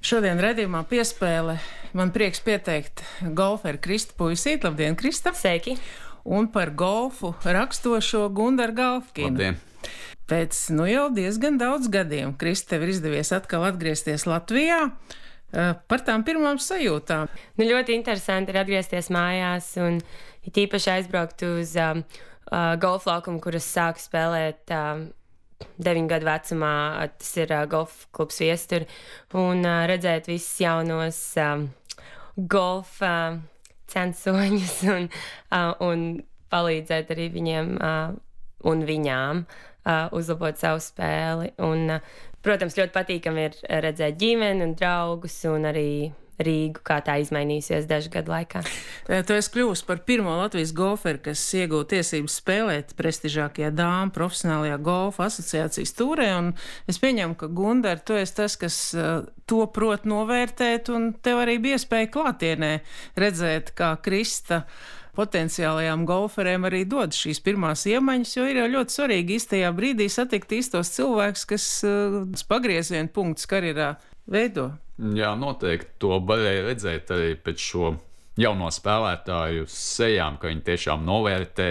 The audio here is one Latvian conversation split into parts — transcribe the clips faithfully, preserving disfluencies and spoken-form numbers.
Šodien redzījumā piespēle man prieks pieteikt golferu Kristu Puisīti. Labdien, Krista! Sveiki! Un par golfu rakstošo Gundaru Galfkinu. Labdien! Pēc nu jau diezgan daudz gadiem, Krista, tev ir izdevies atkal atgriezties Latvijā. Par tām pirmām sajūtām. Nu, ļoti interesanti ir atgriezties mājās un it īpaši aizbraukt uz um, uh, golfa laukumu, kuras sāku spēlēt um, deviņu gadu vecumā. Tas ir uh, golfa klubs Viestur. Un uh, redzēt visus jaunos um, golfa uh, censoņus un, uh, un palīdzēt arī viņiem uh, un viņām uh, uzlabot savu spēli. Un, uh, protams, ļoti patīkami ir redzēt ģimeni un draugus un arī Rīgu, kā tā izmainījusies dažu gadu laikā. Tu esi kļuvusi par pirmo Latvijas golferu, kas iegūta tiesības spēlēt prestižākajā dāmu profesionālajā golfa asociācijas tūrē, un es pieņemu, ka Gundar, tu esi tas, kas to prot novērtēt, un tev arī bija iespēja klātienē redzēt, kā Krista potenciālajām golferēm arī dod šīs pirmās iemaņas, jo ir jau ļoti svarīgi īstajā brīdī satikt īstos cilvēkus, kas uh, pagrieziena punktus karjerā veido. Jā, noteikti to varēja redzēt arī pēc šo jauno spēlētāju sejām, ka viņi tiešām novērtē,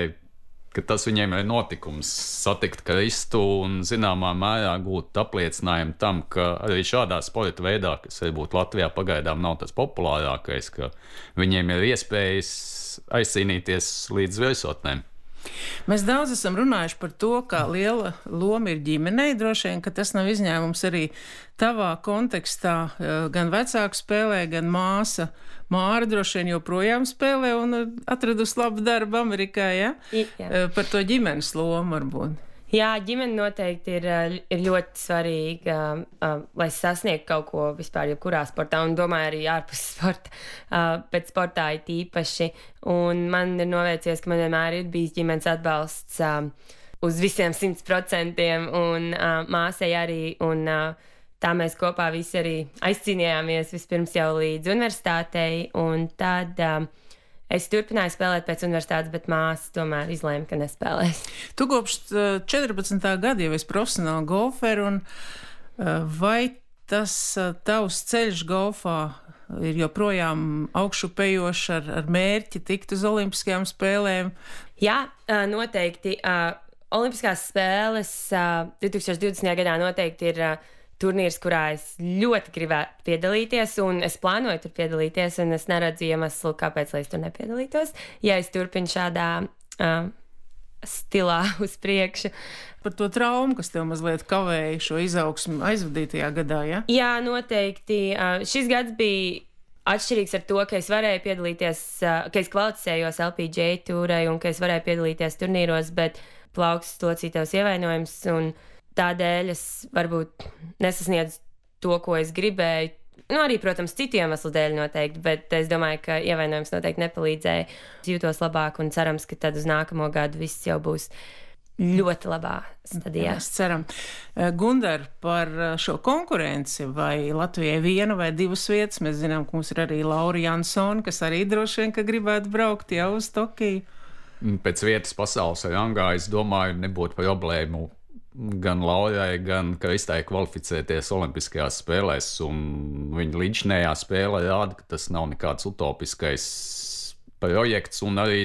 ka tas viņiem ir notikums satikt Kristu un zināmā mērā gūt apliecinājumu tam, ka arī šādā sporta veidā, kas varbūt Latvijā pagaidām nav tas populārākais, ka viņiem ir iespējas aizcīnīties līdz virsotnēm. Mēs daudz esam runājuši par to, kā liela loma ir ģimenei. Droši vien, ka tas nav izņēmums arī tavā kontekstā. Gan vecāku spēlē, gan māsa Māra droši vien joprojām spēlē un atradusi labu darbu Amerikā, ja? Jā. Par to ģimenes lomu varbūt. Jā, ģimene noteikti ir, ir ļoti svarīga, uh, lai sasniegtu kaut ko vispār, jebkurā sportā, un domāju arī ārpus sporta, uh, pēc sportā it īpaši. Un man ir novērties, ka man vienmēr ir bijis ģimenes atbalsts uh, uz visiem simts procentiem, un uh, māsai arī, un uh, tā mēs kopā visi arī aizcīnījāmies vispirms jau līdz universitātei, un tad Uh, Es turpināju spēlēt pēc universitātes, bet māsa tomēr izlēma, ka nespēlēs. Tu kopš četrpadsmitā gada jau esi profesionāli golferi, un vai tas tavs ceļš golfā ir joprojām augšupejošs ar, ar mērķi tikt uz olimpiskajām spēlēm? Jā, noteikti. Olimpiskās spēles divtūkstoš divdesmitajā gadā noteikti ir turnīrs, kurā es ļoti gribētu piedalīties, un es plānoju tur piedalīties, un es neredzu iemeslu, kāpēc lai es tur nepiedalītos, ja es turpinu šādā uh, stilā uz priekšu. Par to traumu, kas tev mazliet kavēja šo izaugsmu aizvadītajā gadā, ja? Jā, noteikti. Uh, šis gads bija atšķirīgs ar to, ka es varēju piedalīties, uh, ka es kvalificējos L P G A tūrai, un ka es varēju piedalīties turnīros, bet plaukstas locītavas ievainojums, un tādēļ es varbūt nesasniedzu to, ko es gribēju. Nu, arī, protams, citu iemeslu dēļ noteikti, bet es domāju, ka ievainojums noteikti nepalīdzēja. Es jūtos labāk un cerams, ka tad uz nākamo gadu viss jau būs ļoti labā stadijā. Mēs ceram. Gundar, par šo konkurenci, vai Latvijai viena vai divas vietas, mēs zinām, ka mums ir arī Laura Jansone, kas arī droši vien, ka gribētu braukt jau uz Tokiju. Pēc vietas pasaules rangā, es domāju, nebūtu problēmu gan Laurai, gan Kristai kvalificēties Olimpiskajās spēlēs, un viņa līdzinējā spēle rāda, ka tas nav nekāds utopiskais projekts, un arī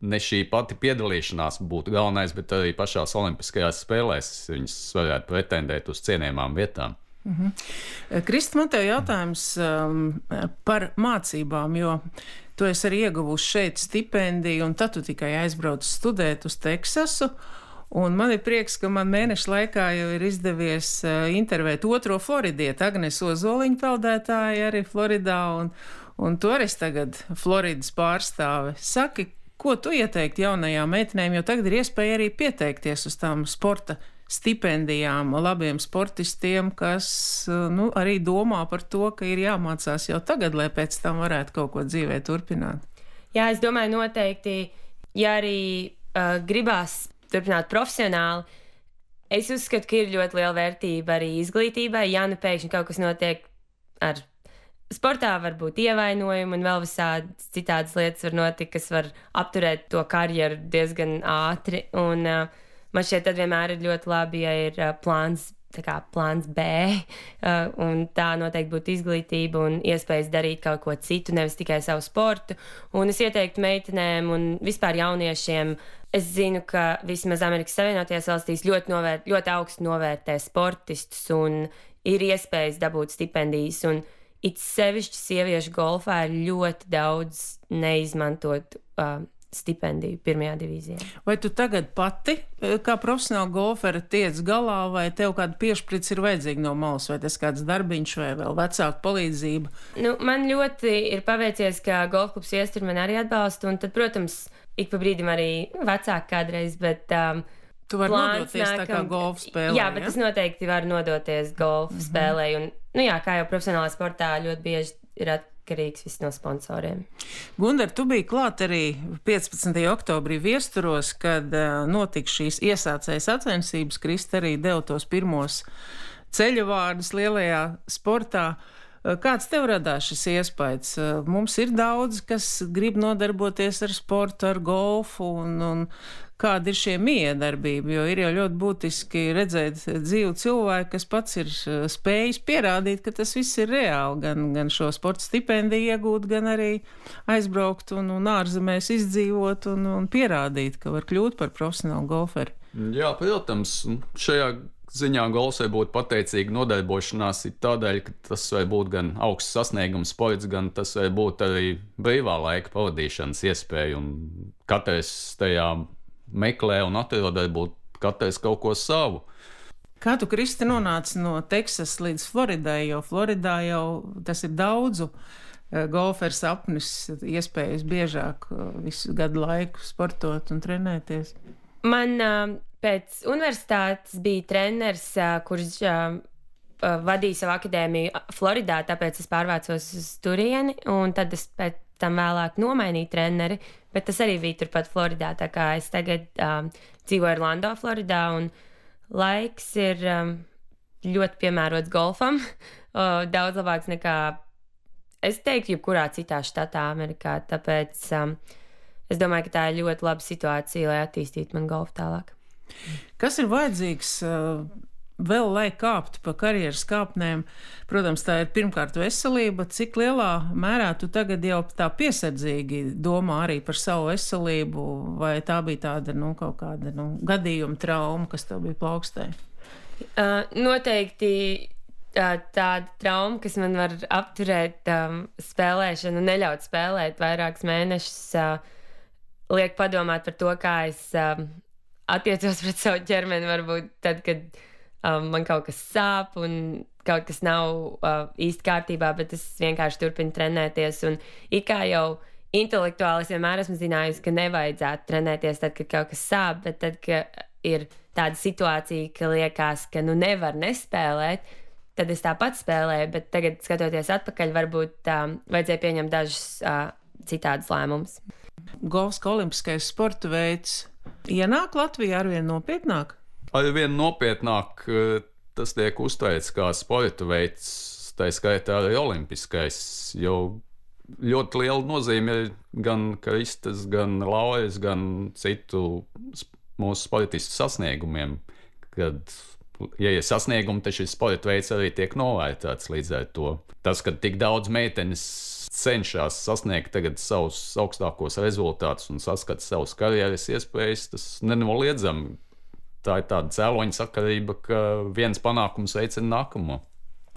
ne šī pati piedalīšanās būtu galvenais, bet arī pašās Olimpiskajās spēlēs viņas varētu pretendēt uz cienījamām vietām. Mm-hmm. Krista, man tev jautājums um, par mācībām, jo tu esi arī ieguvusi šeit stipendiju, un tad tu tikai aizbrauc studēt uz Teksasu. Un man ir prieks, ka man mēneša laikā jau ir izdevies uh, intervēt otro floridieti, Agnesu Ozoliņu peldētāju arī Floridā, un, un tu arī tagad Floridas pārstāve. Saki, ko tu ieteiktu jaunajām meitenēm, jo tagad ir iespēja arī pieteikties uz tām sporta stipendijām labiem sportistiem, kas uh, nu, arī domā par to, ka ir jāmācās jau tagad, lai pēc tam varētu kaut ko dzīvē turpināt. Jā, es domāju noteikti, ja arī uh, gribās turpināt profesionāli. Es uzskatu, ka ir ļoti liela vērtība arī izglītībai. Ja nu pēkšņi kaut kas notiek ar sportā, varbūt ievainojumi un vēl visādas citādas lietas var notikt, kas var apturēt to karjeru diezgan ātri. Un uh, man šķiet, tad vienmēr ir ļoti labi, ja ir uh, plāns tā kā plāns B, uh, un tā noteikti būtu izglītība un iespējas darīt kaut ko citu, nevis tikai savu sportu. Un es ieteiktu meitenēm un vispār jauniešiem, es zinu, ka vismaz Amerikas Savienotajās valstīs ļoti, novērt, ļoti augstu novērtē sportistus un ir iespējas dabūt stipendijas, un it sevišķi sieviešu golfā ir ļoti daudz neizmantot uh, stipendiju pirmajā divīzijā. Vai tu tagad pati, kā profesionāla golfera, tiec galā, vai tev kāda piešprits ir vajadzīga no malas, vai tas kāds darbiņš, vai vēl vecāku palīdzība? Nu, man ļoti ir paveicies, ka golfklubs Iestur man arī atbalsta, un tad, protams, ik pa brīdim arī vecāki kādreiz, bet... Um, Tu vari nodoties nākam, tā kā golfa spēlē, jā? Jā, bet ja? Es noteikti varu nodoties golfa mm-hmm. spēlē, un, nu jā, kā jau profesionālā sportā ļoti bieži ir atkarīgs viss no sponsoriem. Gundar, tu biji klāt arī piecpadsmitajā oktobrī Viesturos, kad uh, notika šīs iesācējas sacensības. Krista arī deva tos pirmos ceļa vārdus lielajā sportā. Kāds tev radās šis iespējas? Mums ir daudz, kas grib nodarboties ar sportu, ar golfu, un, un kāda ir šie miedarbība, jo ir jau ļoti būtiski redzēt dzīvu cilvēku, kas pats ir spējis pierādīt, ka tas viss ir reāli, gan, gan šo sporta stipendiju iegūt, gan arī aizbraukt un, un ārzemēs izdzīvot un, un pierādīt, ka var kļūt par profesionālu golferi. Jā, protams, šajā ziņā golfs vai būtu pateicīga nodarbošanās ir tādēļ, ka tas var būt gan augsts sasniegums sports, gan tas var būt arī brīvā laika pavadīšanas iespēja, un katrs tajā meklē un atrod varbūt katrs kaut ko savu. Kā tu, Kristi, nonāci no Teksas līdz Floridai, jo Floridā jau tas ir daudzu golferu sapnis, iespējas biežāk visu gadu laiku sportot un trenēties? Man uh, pēc universitātes bija treneris, uh, kurš uh, uh, vadīja savu akadēmiju Floridā, tāpēc es pārvācos uz turieni, un tad es pēc tam vēlāk nomainīju treneri, bet tas arī bija turpat Floridā, tā kā es tagad um, dzīvoju Orlando, Floridā, un laiks ir um, ļoti piemērots golfam, uh, daudz labāks nekā, es teiktu, jebkurā citā štatā Amerikā, tāpēc um, es domāju, ka tā ir ļoti laba situācija, lai attīstītu man golfu tālāk. Kas ir vajadzīgs uh, vēl, lai kāptu pa karjeras kāpnēm? Protams, tā ir pirmkārt veselība. Cik lielā mērā tu tagad jau tā piesardzīgi domā arī par savu veselību, vai tā bija tāda, nu, kaut kāda, nu, gadījuma trauma, kas tev bija plaukstē? Uh, noteikti uh, tāda trauma, kas man var apturēt um, spēlēšanu, neļaut spēlēt vairākus mēnešus, uh, liek padomāt par to, kā es um, attiecos pret savu ķermeni, varbūt tad, kad um, man kaut kas sāp un kaut kas nav uh, īsti kārtībā, bet es vienkārši turpinu trenēties. Un it kā jau intelektuāli es vienmēr esmu zinājusi, ka nevajadzētu trenēties tad, kad kaut kas sāp, bet tad, kad ir tāda situācija, ka liekas, ka nu nevar nespēlēt, tad es tāpat spēlēju, bet tagad, skatoties atpakaļ, varbūt um, vajadzēja pieņemt dažus uh, citādus lēmumus. Golfs kā olimpiskais sporta veids ienāk Latvijā arvien nopietnāk? Arvien nopietnāk tas tiek uztvērts kā sporta veids, tā skaitā arī olimpiskais, jo ļoti liela nozīme ir gan Kristas, gan Lauras, gan citu mūsu sportistu sasniegumiem, kad, ja ir sasniegumi, tad šis sporta veids arī tiek novērtēts līdz ar to. Tas, ka tik daudz meitenes cenšas sasniegt tagad savus augstākos rezultātus un saskata savus karjeras iespējas, tas nenoliedzami. Tā ir tāda cēloņa sakarība, ka viens panākums veicina nākamo.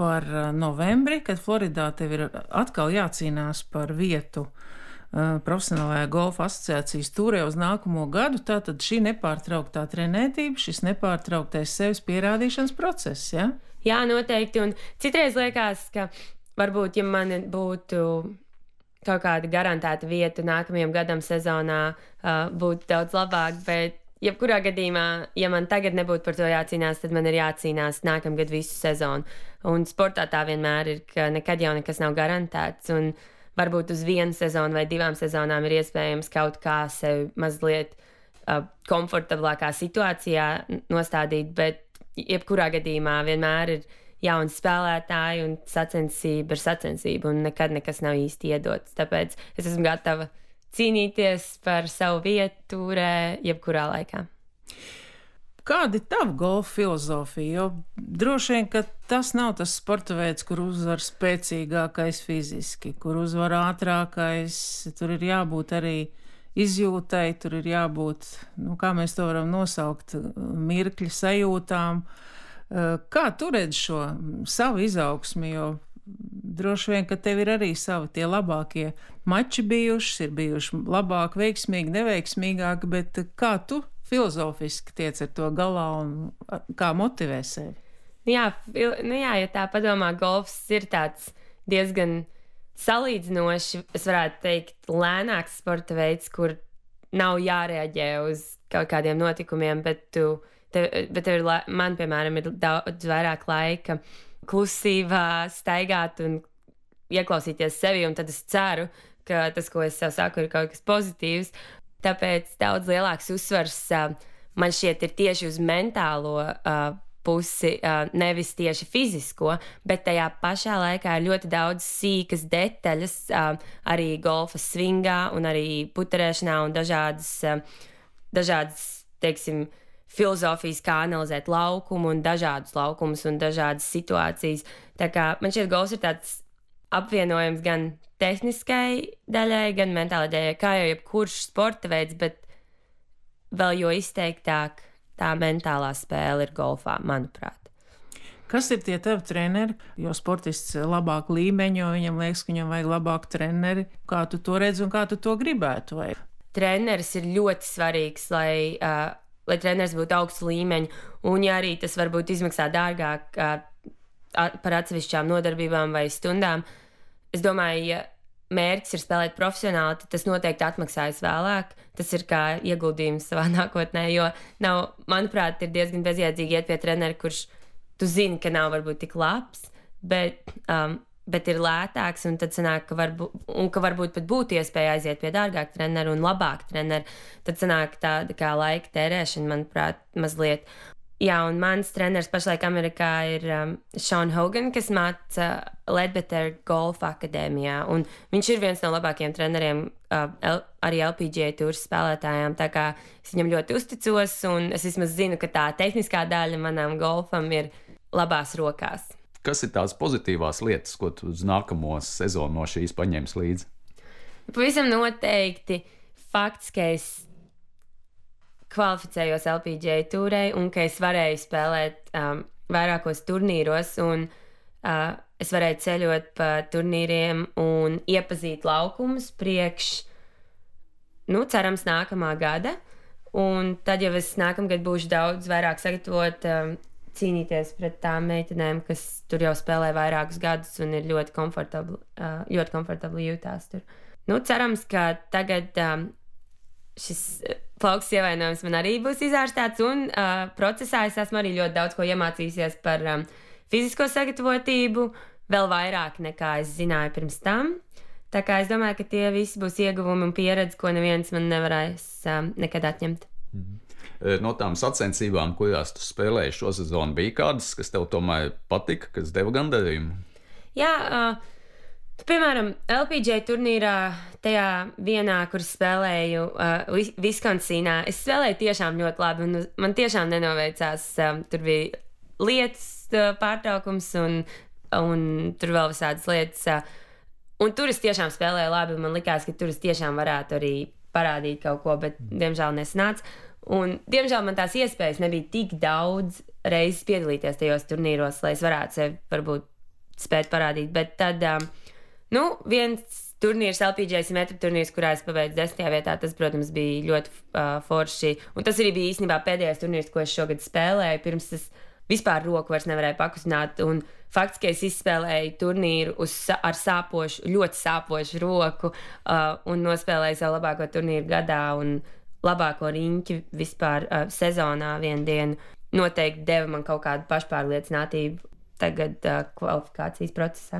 Par novembri, kad Floridā tev ir atkal jācīnās par vietu uh, profesionālajā golfa asociācijas tūrē uz nākamo gadu, tātad šī nepārtrauktā trenētība, šis nepārtrauktais sevis pierādīšanas process, ja? Jā, noteikti, un citreiz liekas, ka varbūt, ja man būtu kaut kāda garantēta vieta nākamajam gadam sezonā, uh, būtu daudz labāk, bet jebkurā gadījumā, ja man tagad nebūtu par to jācīnās, tad man ir jācīnās nākamgad visu sezonu. Un sportā tā vienmēr ir, ka nekad jau nekas nav garantēts, un varbūt uz vienu sezonu vai divām sezonām ir iespējams kaut kā sevi mazliet uh, komfortablākā situācijā nostādīt, bet jebkurā gadījumā vienmēr ir jauni spēlētāji un sacensība ir sacensība, un nekad nekas nav īsti iedots. Tāpēc es esmu gatava cīnīties par savu vietu tūrē jebkurā laikā. Kāda ir tava golfa filozofija? Jo droši vien, ka tas nav tas sporta veids, kur uzvar spēcīgākais fiziski, kur uzvar ātrākais, tur ir jābūt arī izjūtai, tur ir jābūt, nu, kā mēs to varam nosaukt, mirkļa sajūtām. Kā tu redz šo savu izaugsmi, jo droši vien, ka tev ir arī savi tie labākie mači bijuši, ir bijuši labāk, veiksmīgi, neveiksmīgāki, bet kā tu filozofiski tiec ar to galā un kā motivē sevi? Jā, nu jā, ja tā padomā, golfs ir tāds diezgan salīdzinoši, es varētu teikt, lēnāks sporta veids, kur nav jārēģē uz kaut kādiem notikumiem, bet, tu, tev, bet tev ir, man, piemēram, ir daudz vairāk laika klusībā staigāt un ieklausīties sevi, un tad es ceru, ka tas, ko es sev saku, ir kaut kas pozitīvs. Tāpēc daudz lielāks uzsvars uh, man šķiet ir tieši uz mentālo uh, pusi, uh, nevis tieši fizisko, bet tajā pašā laikā ir ļoti daudz sīkas detaļas uh, arī golfa svingā un arī puterēšanā un dažādas, uh, dažādas, teiksim, filozofijas, kā analizēt laukumu un dažādus laukumus un dažādas situācijas. Tā kā man šķiet golfs ir tāds apvienojums gan tehniskai daļai, gan mentālai daļai, kā jau jebkurš sporta veids, bet vēl jo izteiktāk tā mentālā spēle ir golfā, manuprāt. Kas ir tie tavi treneri? Jo sportists labāk līmeņo, viņam liekas, ka viņam vajag labāku treneri. Kā tu to redzi un kā tu to gribētu? Vai? Treneris ir ļoti svarīgs, lai, uh, lai treneris būtu augstu līmeņu, un ja arī tas varbūt izmaksā dārgāk uh, par atsevišķām nodarbībām vai stundām, es domāju, ja mērķis ir spēlēt profesionāli, tad tas noteikti atmaksājas vēlāk. Tas ir kā ieguldījums savā nākotnē, jo nav, manuprāt, ir diezgan bezjēdzīgi iet pie trenera, kurš tu zini, ka nav varbūt tik labs, bet, um, bet ir lētāks, un tad sanāk, ka, varbūt, un ka varbūt pat būtu iespēja aiziet pie dārgāk treneru un labāk treneru. Tad sanāk tāda kā laika tērēšana, manuprāt, mazliet. Jā, un mans treneris pašlaik Amerikā ir um, Sean Hogan, kas māca Ledbetter Golfa akadēmijā, un viņš ir viens no labākajiem treneriem uh, L, arī L P G A tūras spēlētājām, tā kā es viņam ļoti uzticos, un es vismaz zinu, ka tā tehniskā daļa manam golfam ir labās rokās. Kas ir tās pozitīvās lietas, ko tu uz nākamo sezonu no šīs paņems līdzi? Pavisam noteikti fakts, ka es kvalificējos L P G A tūrai un ka es varēju spēlēt um, vairākos turnīros un uh, es varēju ceļot pa turnīriem un iepazīt laukumus priekš, nu, cerams, nākamā gada. Un tad jau es nākamgad būšu daudz vairāk sagatavot um, cīnīties pret tām meitenēm, kas tur jau spēlē vairākus gadus un ir ļoti komfortabli, uh, ļoti komfortabli jūtās tur. Nu, cerams, ka tagad um, šis plaukstas ievainojums man arī būs izārstēts, un uh, procesā es esmu arī ļoti daudz ko iemācījusies par um, fizisko sagatavotību, vēl vairāk nekā es zināju pirms tam. Tā kā es domāju, ka tie visi būs ieguvumi un pieredze, ko neviens man nevarēs um, nekad atņemt. Mm-hmm. No tām sacensībām, kurās tu spēlēji šo sezonu, bija kādas, kas tev tomēr patika, kas deva gandarījumu? Jā, uh, piemēram, L P G A turnīrā, tajā vienā, kur spēlēju uh, Viskonsinā, es spēlēju tiešām ļoti labi, un man tiešām nenoveicās. Um, tur bija lietas uh, pārtraukums, un, un tur vēl visādas lietas. Uh, un tur es tiešām spēlēju labi, un man likās, ka tur es tiešām varētu arī parādīt kaut ko, bet diemžēl nesanāca. Un diemžēl man tās iespējas nebija tik daudz reizes piedalīties tajos turnīros, lai es varētu sevi varbūt spēt parādīt, bet tad... Um, Nu, viens turnīrs, L P G A simetru turnīrs, kurā es pabeidzu desmitajā vietā, tas, protams, bija ļoti uh, forši. Un tas arī bija īstenībā pēdējais turnīrs, ko es šogad spēlēju. Pirms es vispār roku vairs nevarēju pakustināt. Un fakts, ka es izspēlēju turnīru uz, ar sāpošu, ļoti sāpošu roku uh, un nospēlēju savu labāko turnīru gadā un labāko riņķi vispār uh, sezonā vienu dienu, noteikti deva man kaut kādu pašpārliecinātību tagad uh, kvalifikācijas procesā.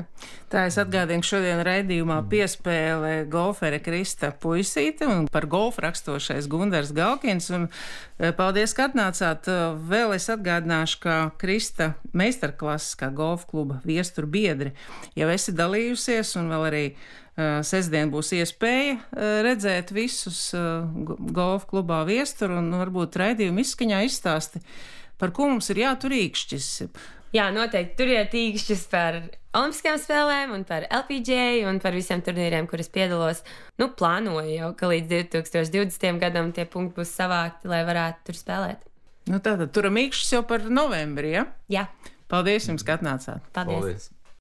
Tā es atgādinu, šodien raidījumā piespēle golfere Krista Puisīte un par golfu rakstošais Gundars Galkins. Un paldies, ka atnācāt. Vēl es atgādināšu, ka Krista meistarklases kā golfa kluba viestur biedri jau esi dalījusies un vēl arī sestdien būs iespēja redzēt visus golfa klubā Viestur un varbūt raidījumu izskaņā izstāsti, par ko mums ir jātur īkšķis. Jā, noteikti turiet īkšķis par Olimpiskajām spēlēm un par L P G A un par visiem turnīriem, kuras piedalos. Nu, plānoju jau, ka līdz divi tūkstoši divdesmitajam gadam tie punkti būs savākti, lai varētu tur spēlēt. Nu, tātad turam īkšķis jau par novembri, ja? Jā. Paldies jums, ka atnācāt. Paldies. Paldies.